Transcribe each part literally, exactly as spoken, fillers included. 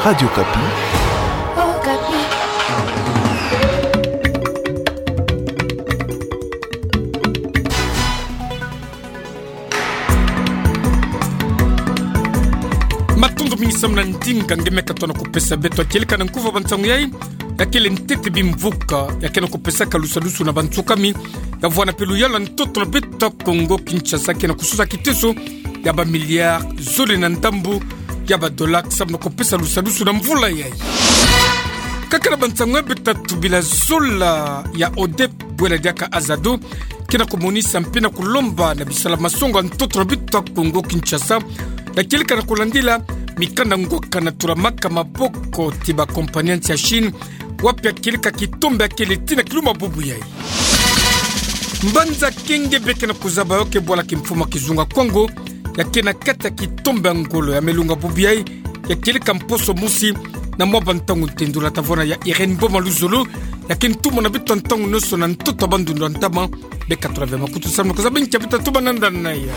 Radio Okapi. Matondo mingi samu na ndinga nge me katoa na kupesa beto. Kieleka na nkufi ya bansangu yai, ya kele ntete bimvuka ya kena kupesaka lusalusu na bansukami ya vwanda mpe luyalu ya ntoto na beto ya Kongo Kinshasa, kena kususa kiteso ya ba milliards zole na ndambu ya ba dollars samu na kupesa lusalusu na mvula yai. Kaka na bansangu ya beto tatu, bila zola ya ODEP, bwela diaka AZADO, kena kumonisa mpe na kulomba na bisala masongo ya ntoto na beto ya Kongo Kinshasa, ya kieleka na kulandila mikanda ngwaka na tulamaka maboko ti ba compagnies ya Chine, wapi ya kieleka kitombe ya kele tii na kilumbu bubu yai. Mbanza Kenge beke na kuzaba yo ke bwala kimfumu ya kizunga Kongo, ya kena kati ya kitombe ya ngolo ya melunga bubu yai, ya kieleka mposo mosi na mwa bantangu ntendula. Ta vwanda ya Irène Mboma Luzolo, ya ke ntumwa na beto ya ntangu nyonso na ntoto ya bandundu ya ntama. Beka tula ve makutu samu na kuzaba nkia beto tumwananga na yo.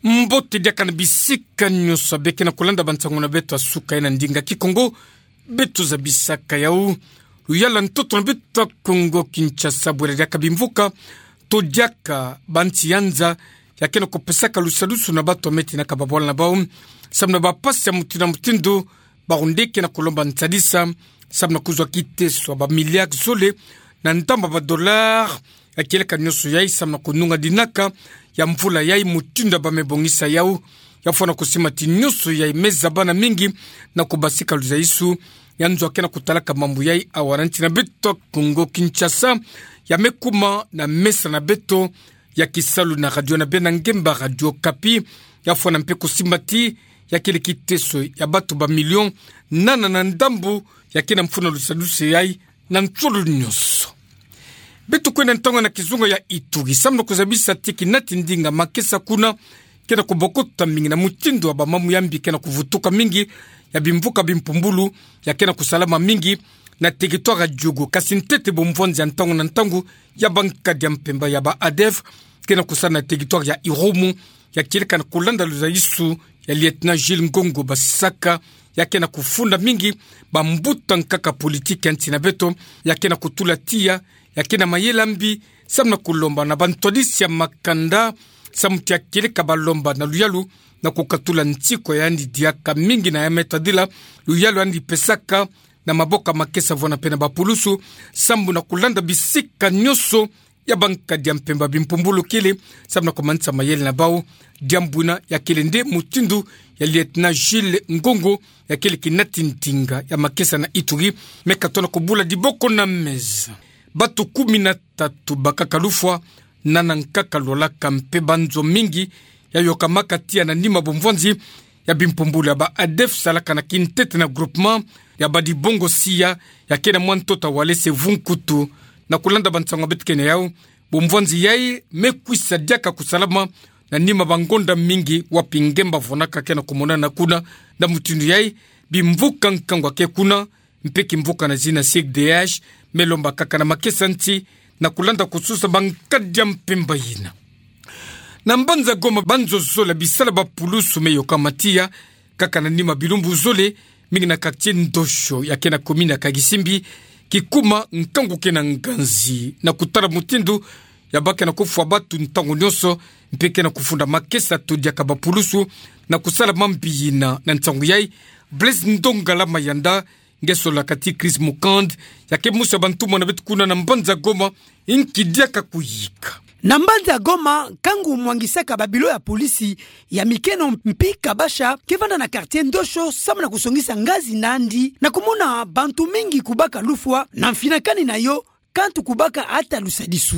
Mbote diaka na bisika nyonso beke na kulanda bansangu na beto ya suka yai na ndinga Kikongo. Beto zabisaka yau luyalu ya ntoto na beto ya Kongo Kinshasa, bwela diaka bimvuka to diaka bansi ya nza ya kena kupesaka lusalusu na bato ya me tinaka babwala na bau samu na bapasi ya mutindu na mutindu. Bawu nde kena kulomba nsadisa samu na kuzwa kiteso ya ba milliards zole na ndambu ya ba dollars ya kieleka nyonso yai samu na kununga dinaka ya mvula yai, mutindu ya ba me bongisa yau. Ya fwana kusimba ti nyonso yai me zabana mingi na kubasika luzaisu ya nzo ya kena kutalaka mambu yai awa na nsi na beto ya Kongo Kinshasa. Ya me kuma na mesa na beto ya kisalu na radio na bena ngemba, Radio Okapi. Ya fwana mpe kusimba ti ya kele kiteso ya bato ba millions nana na ndambu ya kena mfunu ya lusadusu yai na nsolo nyonso. Beto kwenda ntangu na kizunga ya Ituri samu na kuzabisa ti kinati ndinga makesa kuna kena kubokota mingi na mutindu ya bamambu ya mbi kena kuvutuka mingi, ya bimvuka bimpumbulu ya kena kusalama mingi na territoire ya Diogo. Kasi ntete bomvwanzi ya ntangu na ntangu ya bankadi ya mpemba ya ba ADF kena kusala na territoire ya Irumu, ya kieleka na kulanda luzaisu ya Lieutenant Jules Ngongo Basisaka, ya kena kufunda mingi bambuta nkaka politique ya nsi na beto, ya kena kutula tiya ya kena mayela mbi samu na kulomba na bantwadisi ya makanda samu ti ya kieleka balomba na luyalu na kukatula nsi kwa yandi diaka mingi na ya me tadila luyalu yandi pesaka na maboko ya makesa vwana mpe na bapulusu, samu na kulanda bisika nyonso ya bankadi ya mpemba bimpumbulu kele, samu na kumanisa mayele na bau. Diambu ina ya kele nde mutindu ya Lieutenant Jules Ngongo, ya kele kinati ndinga ya makesa na Ituri, me katona kubula diboko na meza. Bato kumi na tatu bakaka lufwa, nana nkaka lwalaka mpe banzo mingi ya yokamaka tiya na nima bomvwanzi ya bimpumbulu ya ba ADF salaka na kintete na groupement ya Badibongo Sia, ya kena mwa ntoto ya Walese Vunkutu. Na kulanda bansangu ya beto kena yau, bomvwanzi yai me kwisa diaka kusalama na nima bangonda mingi wapi ngemba vwanaka kena kumonana kuna. Na mutindu yai, bimvuka nkangu ya ke kuna, mpe kimvuka na zina C D H me lomba kaka na makesa nsi na kulanda kususa bankadi ya mpemba ina. Na mbanza Goma, banzo zole ya bisala bapulusu me yokama tiya kaka na nima bilumbu zole, mingi na quartier Ndosho ya kena commune ya Karisimbi, kikuma nkangu kena nganzi na kutala mutindu ya ba kena kufwa bato ntangu nyonso, mpe kena kufunda makesa to diaka bapulusu na kusala mambi ina. Na nsangu yai, Blaise Ndongala Mayanda, nge solaka ti Chris Mukand, ya ke mosi ya bantumwa na beto kuna na mbanza Goma, nki diaka kuyika. Na mbanza Goma, nkangu mwangisaka babilo ya polisi ya mikeno mpi kabasha ke vanda na quartier Ndosho samu na kusongisa ngazi na yandi na kumona bantu mingi kubaka lufwa na mfinakani na yo, kantu kubaka ata lusadisu.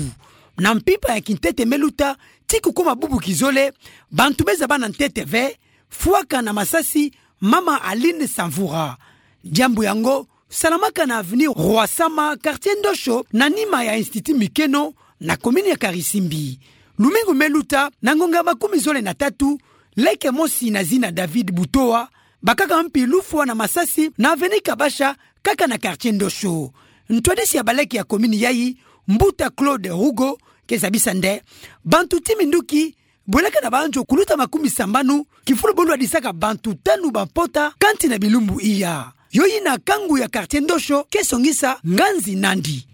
Na mpimpa ya kintete me luta, ti kukuma bubu kizole, bantu me zaba na ntete ve fwaka na masasi mama Aline Samvura. Diambu yango salamaka na avenue Roi Sama, quartier Ndosho, na nima ya Institut Mikeno, na commune ya Karisimbi. Lumingu me luta, na ngonga ya makumi zole na tatu, leke mosi na zina David Butoa bakaka mpi lufwa na masasi na avenue Kabasha, kaka na quartier Ndosho. Ntwadisi ya baleke ya commune yai, mbuta Claude Rugo, ke zabisa nde bantu ti minduki Bwelaka na banzo kuluta makumi sambanu, kifulu bo lwadisaka bantu tanu ba mpota, kansi na bilumbu iya. Yo yina kangu ya quartier Ndosho, kesongisa nganzi nandi.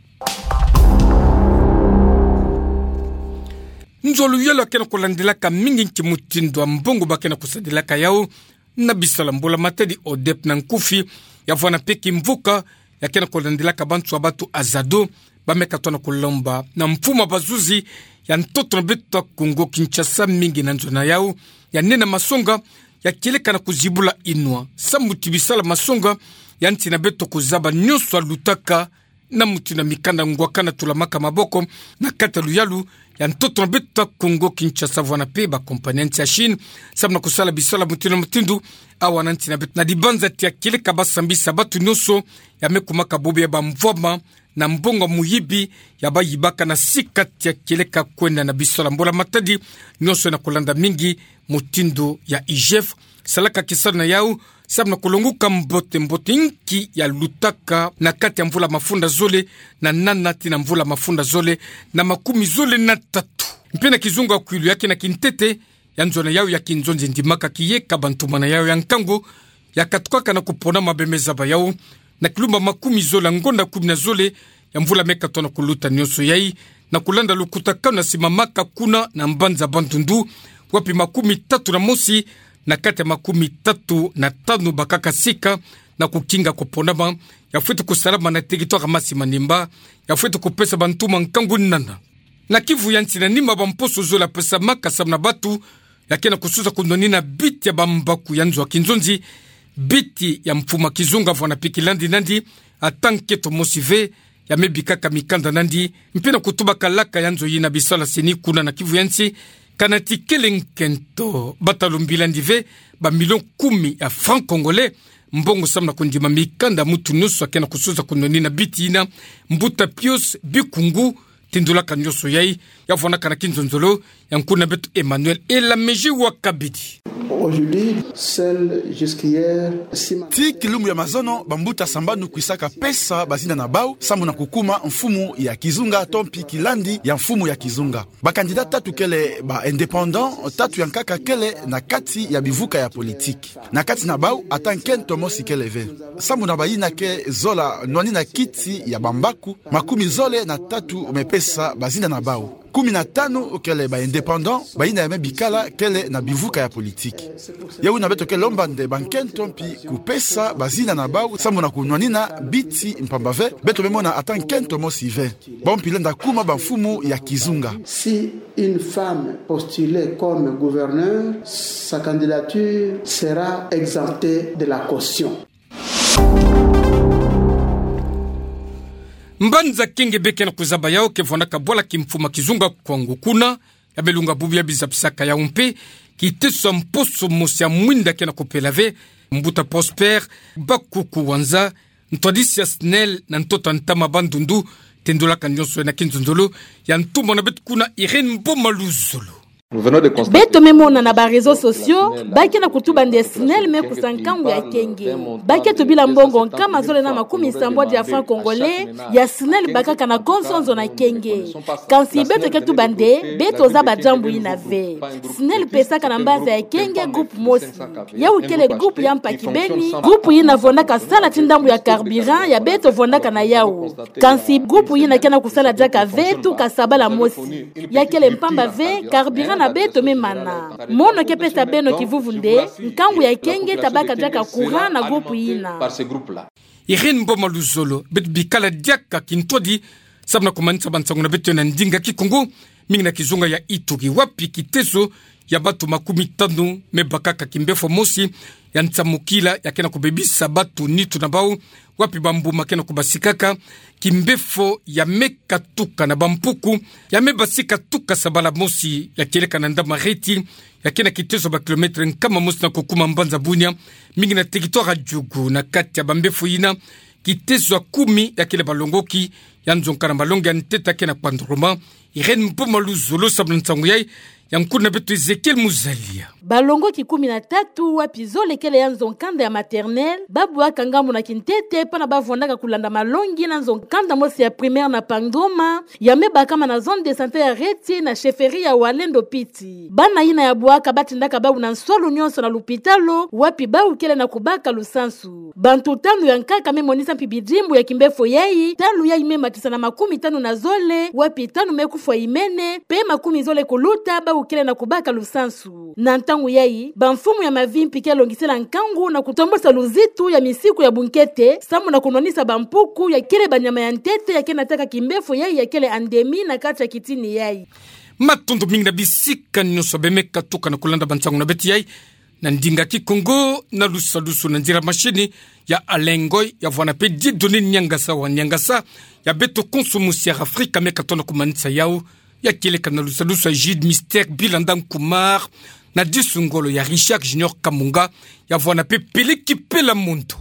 Nzolo yalu akena kulandelaka mingi nki mutindu wa mbongo bakena kusadilaka yau, na bisala mbula matadi ODEP na nkufi, ya vwanda mpe kimvuka, yakena kulandelaka bantu wa batu AZADO, bameka tona kulomba na mfumu wa bazuzi ya ntoto na beto Kongo-Kinshasa mingi na nzo na yau, ya nena masonga, ya kieleka na kuzibula inwa. Samu ti bisala masonga, ya nsi na beto kuzaba nyonso alutaka, na mutindu wa mikanda ngwakana tulamaka maboko, na kati ya luyalu ya ntoto na beto Kongo-Kinshasa vwanda mpe ba compagnie ya nsi ya Chine, samu na kusala bisala mutindu na mutindu, awa na nsi na beto. Na dibanza tia kieleka basambisa batu nyonso, ya me kumaka bobo ya bamvwama, na mbongo muyibi, ya bayibaka na sika tia kieleka kwenda na bisala mbula matadi, nyonso na kulanda mingi, mutindu ya IGF, salaka kisalu na yau, samu na kulonguka mbote mbote nki ya lutaka na kati ya mvula mafunda zole na nana tii na mvula mafunda zole na makumi zole na tatu. Mpe na kizunga kwilu yake na kintete, ya nzo na yau ya kinzonzi ndimaka kiyeka bantumana yau ya nkangu, ya katukaka na kupona mabemeza ba yau, na kilumba makumi zole ya ngonda kumi na zole, ya mvula meka tona kuluta nyonso yai, na kulanda lukutakanu na simamaka kuna na mbanza Bandundu, wapi makumi tatu na mosi, na kati ya makumi tatu na tanu bakaka sika, na kukinga kuponama, ya fwete kusalama na territoire Masi Manimba, ya fwete kupesa bantuma nkangu nana. Na Kivu ya nsi na nima bamposo zole ya pesamaka samu na batu, yakena kususa kunwanina biti ya bambaku ya nzo ya kinzonzi, biti ya mfumu wa kizunga vwanda mpe kilandi nandi, ata nkento mosi ve, ya me bikaka mikanda nandi, mpe na kutuba kalaka ya nzo yina bisala seni kuna na Kivu ya nsi, kana ti kele nkento, batalu mbila nandi ve, ba million kumi ya francs congolais, mbongo samu na kundima mikanda mutu nyonso akena kususa kunwanina biti yina, mbuta Pius Bikungu, tindulaka nyonso yai, ya vwandaka na kinzonzolo, ya nkuna beto Emmanuel Elamezi wa Kabidi. Aujourd'hui, seul jusqu'hier, six ma- Tii kilumbu ya mazono, bambuta sambanu kwisaka pesa bazinda na bau, samu na kukuma mfumu ya kizunga, to mpi kilandi ya mfumu ya kizunga. Ba candidat tatu kele ba indépendant, tatu ya nkaka kele na kati ya bivuka ya politique. Na kati na bau, ata nkento mosi kele ve. Samu na bayina ke zola nwanina kiti ya bambaku, makumi zole na tatu me pesa bazinda na bau. Kumi na tanu kele ba indépendant, bayina ya me bikala kele na bivuka ya politique. Yo wuna beto ke lomba nde bankento mpi kupesa bazinda na bau, samu na kunwanina biti mpamba ve, beto me mona ata nkento mosi ve. Bau mpi lenda kuma bamfumu ya kizunga. Si une femme postulée comme gouverneur, sa candidature sera exemptée de la caution. Mbanza Kenge be kena kuzaba yau ke vwandaka bwala kimfumu wa kizunga kwangu kuna, ya belunga bubu ya bizabisaka yau mpe, kiteso ya mposo mosi ya mwinda kena kupela ve, mbuta Prosper Bakuku Wanza, ntwadisi ya SNEL na ntoto ya ntama Bandundu, tendolaka nyonso na kinzonzolo, ya ntumwa na beto kuna Irène Mboma Luzolo. Beto me mona na ba réseaux sociaux, ba kena kutuba nde SNEL me kusa nkangu ya Kenge. Ba ke tubila mbongo nkama zole na makumi sambwadi ya francs congolais, ya SNEL bakaka na konso nzo na Kenge. Kansi beto ke tuba nde, beto zaba diambu yina ve. SNEL pesaka na mbanza ya Kenge groupe mosi. Yau kele groupe ya mpa kibeni, groupe yina vwandaka sala ti ndambu ya carburant ya beto vwandaka na yau. Kansi groupe yina kena kusala diaka ve tuka sabala mosi. Ya kele mpamba ve, carburant na beto me mana. Mono ke pesa beno kivuvu nde, nkangu ya Kenge ta baka diaka courant na groupe yina. Irène Mboma Luzolo, beto bikala diaka kintwadi, samu na kumanisa bansangu na beto na ndinga Kikongo, mingi na kizunga ya Ituri, wapi kiteso ya batu makumi tanu me bakaka kimbefo mosi ya nsamukila ya kena kubebisa batu nitu na bau, wapi bambuma kena kubasikaka, kimbefo ya me katuka na bampuku, ya me basika tuka sabala mosi ya kieleka na Ndamaheti, ya kena kiteso ba kilomètre nkama mosi na kukuma mbanza Bunia, mingi na territoire ya Djugu, na kati ya bambefo yina, kiteso ya kumi ya kele balongoki, ya nzonka na malongi ya ntete ya kena Kpandoroma, Irène Mboma Luzolo samu na nsangu yai, Ya nkuna beto Ezekiel Muzalia. Balongoki kumi na tatu wapi zole kele ya nzo nkanda ya maternelle, babwaka ngambu na kintete, pana bavwandaka kulanda malongi na nzo nkanda mosi ya primaire na Pangoma, ya me bakama na zone de santé ya Reti na chefferie ya Wallendo Piti. Bana yina ya bwaka batindaka bawu na nswalu nyonso na lupitalo, wapi bawu kele na kubaka lusansu. Bantu tanu ya nkaka me monisa mpi bidimbu ya kimbefo yayi, tanu yayi me matisa na makumi tanu na zole, wapi tanu me kufwa imene, pe makumi zole kuluta bawu kele na kubaka lusansu. Na ntangu yayi, bamfumu ya mavi mpi kele longisela nkangu na kutombosa luzitu ya misiku ya bunkete, samu na kunwanisa bampuku ya kele banyama ya ntete ya ke nataka kimbefo yayi ya kele endémie na kati ya kitini yayi. Matondo mingi na bisika nyonso be me katuka na kulanda bansangu na beto yayi na ndinga Kikongo na lusadusu na nzila machini ya Alain Ngoy, ya vwana pe Dieudonné Niangasa wa Niangasa, ya beto konso mosi ya Afrika me katona kumanisa yawu, ya kieleka na lusadusu ya Jude Mister Bilanda Nkumar, na disu ngolo ya Richard Junior Kamunga, ya vwana pe Peleki Pela Mondo.